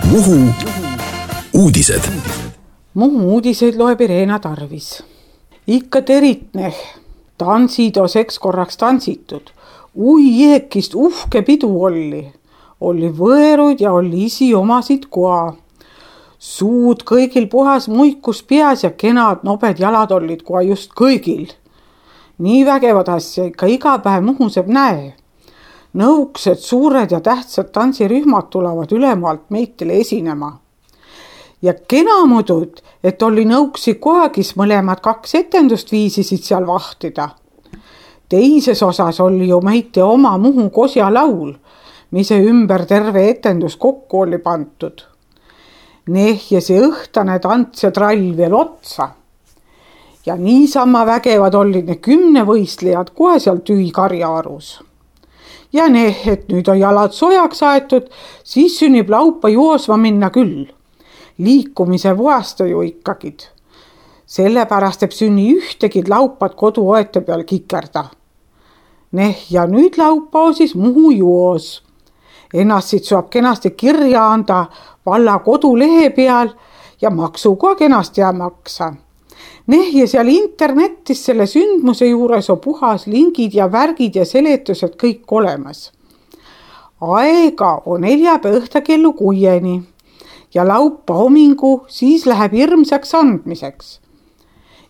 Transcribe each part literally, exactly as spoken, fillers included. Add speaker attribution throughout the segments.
Speaker 1: Muhu uudised.
Speaker 2: Muhu uudiseid loeb Irena Tarvis. Ikka teritneh, tansid oseks korraks tansitud. Ui jeekist uhke pidu olli. Olli võeruid ja olli isi omasid koa. Suud kõigil puhas muikus peas ja kenad nobed jalad ollid koa just kõigil. Nii vägevad asja ikka iga päev Muhuseb näe. Nõuksed, suured ja tähtsad tantsirühmad tulevad ülemaalt meitele esinema. Ja kena mudud, et oli nõuksi koagis mõlemad kaks etendust viisisid seal vahtida. Teises osas oli ju meite oma Muhu kosja laul, mise ümber terve etendus kokku oli pantud. Neh ja see õhtane tants ja trall veel otsa. Ja niisama vägevad olid ne kümne võistlejad kohe seal tüü karjaarus. Ja neh, et nüüd on jalad sojaks aetud, siis sünnib laupa joosma minna küll. Liikumise voasta ju ikkagid. Sellepärast eb sünni ühtegid laupad kodu oete peal kikerda. Neh, ja nüüd laupa on siis Muhu joos. Ennast siit saab kenasti kirja anda valla kodulehe peal ja maksu ka kenasti ja maksa. Neh, ja seal internetis selle sündmuse juures on puhas lingid ja värgid ja seletused kõik olemas. Aega on neljapäeva õhta kellu kuieni ja laupa homingu siis läheb hirmsaks andmiseks.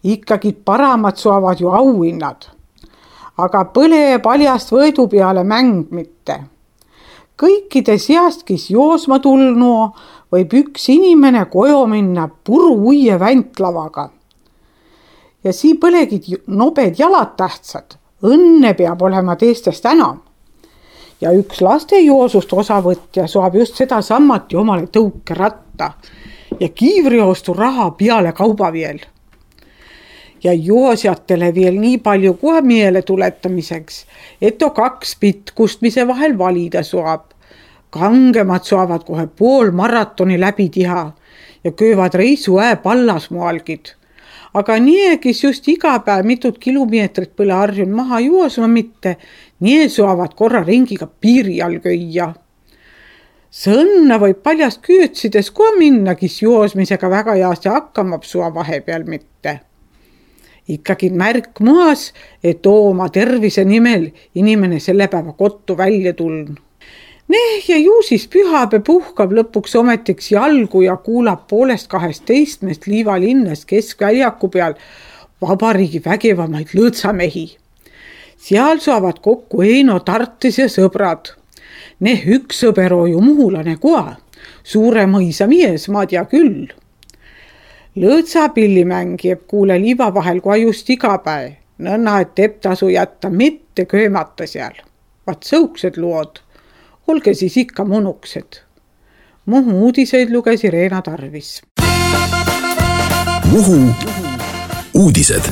Speaker 2: Ikkagi paramad saavad ju auhinnad, aga põle paljast võidu peale mäng mitte. Kõikide seast, kes joosma tulnu, võib üks inimene koju minna puru uie väntlavaga. Ja sii põlegid nobed jalad tähtsad, õnne peab olema teistest enam. Ja üks laste joosust osavõtja saab just seda sammati omale tõuke ratta ja kiivriostu raha peale kauba veel. Ja joosjatele veel nii palju kohe meele tuletamiseks, et on kaks pitkust, mise vahel valida saab. Kangemad saavad kohe pool maratoni läbi tiha ja köövad reisu ää pallasmoalgid. Aga nii, kes just iga päev mitut kilomeetrit põle harjun maha joosma mitte, nii saavad korra ringiga piiri all köia. Sõnna võib paljast küütsides kohe minna, kes joosmisega väga jaasti hakkamab sua vahepeal mitte. Ikkagi märk muas, et oma tervise nimel inimene selle päeva kottu välja tuln. Neh, ja ju siis pühapäev puhkab lõpuks ometiks jalgu ja kuulab poolest kahest teistmest Liivalinnas keskväljaku peal vabariigi vägevamaid lõõtsamehi. Seal saavad kokku Eino Tartis ja sõbrad. Neh, üks sõber on ju muhulane koa, suure mõisa mies, ma tea küll. Lõõtsapillimäng jääb kuule liiva vahel koha just iga päev, nõnna, et teeb tasu jätta mitte köömata seal. Vaat sõuksed lood. Olge siis ikka monuksed. Muhu uudiseid luges Irena Tarvis.
Speaker 1: Muhu uudised.